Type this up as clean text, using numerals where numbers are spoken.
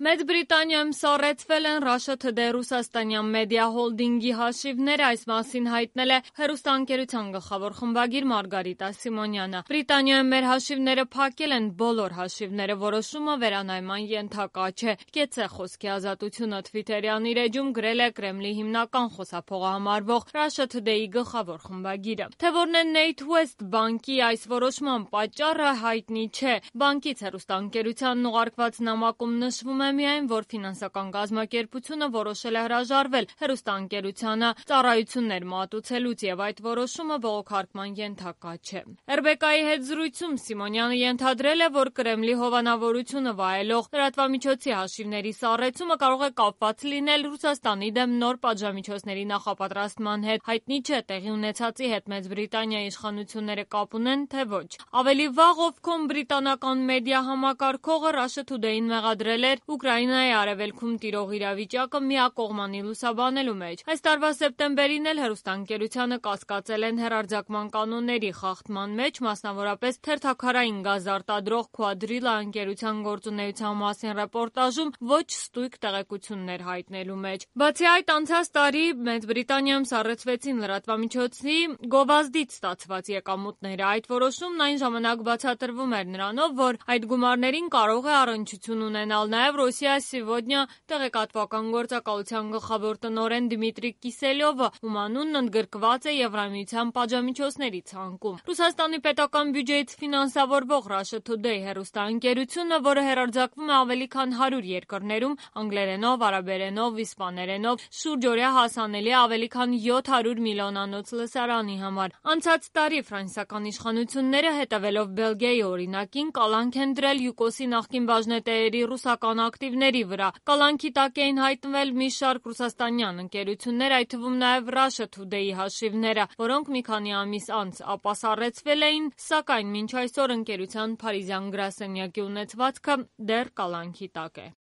Մեծ Բրիտանիայում սառեցվել են Russia Today ռուսաստանյան մեդիա հոլդինգի հաշիվները, այս մասին հայտնել է հեռուստաընկերության գլխավոր խմբագիր Մարգարիտա Սիմոնյանը։ Բրիտանիայում մեր հաշիվները փակել են, բոլոր հաշիվները, որոշումը վերանայման ենթակա չէ։ Կեցե խոսքի ազատությունը Թվիթերյան իր էջում գրել է Կրեմլի հիմնական խոսափողը համարվող Russia Today-ի գլխավոր խմբագիրը։ Թե որն է NatWest բանկի այս որոշման պատճառը հայտնի չէ։ Բանկից հեռուստաընկերությանն ուղարկված նամակում նշվում է միայն, որ ֆինանսական կազմակերպությունը որոշել է հրաժարվել հեռուստաընկերությանը ծառայություններ մատուցելուց եւ այդ որոշումը բողոքարկման ենթակա չէ։ RBK-ի հետ զրույցում Սիմոնյանը ենթադրել է, որ Կրեմլի հովանավորությունը վայելող լրատվամիջոցի հաշիվների սառեցումը կարող է կապված լինել Ռուսաստանի դեմ նոր պատժամիջոցների նախապատրաստման հետ։ Հայտնի չէ տեղի ունեցածի հետ Մեծ Բրիտանիայի իշխանությունները կապ ունեն, թե ոչ։ Ավելի վաղ Ofcom բրիտանական մեդիա համակարգողը Russia Today-ին մեղադրել էր Ուկրաինայի արևելքում տիրող իրավիճակը միակողմանի լուսաբանելու մեջ։ Այս տարվա սեպտեմբերին էլ հեռուստաընկերությանը կասկածել են հեռարձակման կանոնների խախտման մեջ, մասնավորապես թերթաքարային գազ արտադրող Quadrilla ընկերության գործունեության մասին ռեպորտաժում ոչ ստույգ տեղեկություններ հայտնելու մեջ։ Բացի այդ, անցած տարի Մեծ Բրիտանիայում սառեցվեցին լրատվամիջոցի գովազդից ստացված եկամուտները։ Այդ որոշումն այն ժամանակ բացատրվում էր նրանով, որ այդ գումարներին կարող է առնչություն ունենալ նաև Ռոսիա Սիվոդնյա տեղեկատվական գործակալության գլխավոր տնօրեն Դմիտրի Կիսելյովը, ում անունն ընդգրկված է Եվրամիության պատժամիջոցների ցանկում։ Ռուսաստանի պետական բյուջեից ֆինանսավորվող Russia Today հեռուստաընկերությունը, որը հեռարձակվում է ավելի քան 100 երկրներում, անգլերենով, արաբերենով, իսպաներենով, շուրջօրյա հասանելի ավելի քան 700 միլիոնանոց լսարանի համար։ Անցած տարի ֆրանսիական իշխանությունները, հետևելով Բելգիայի օրինակին, կալանք են դրել ՅՈՒԿՕՍ-ի նախկին բաժնետերերի ռուսական ակտիվների վրա։ Կալանքի տակ էին հայտնվել մի շարք ռուսաստանյան ընկերություններ, այդ թվում նաև Russia Today-ի հաշիվները, որոնք մի քանի ամիս անց ապա սառեցվել էին, սակայն մինչ այսօր ընկերության փարիզյան գրասենյակի ունեցվածքը դեռ կալանքի տակ է։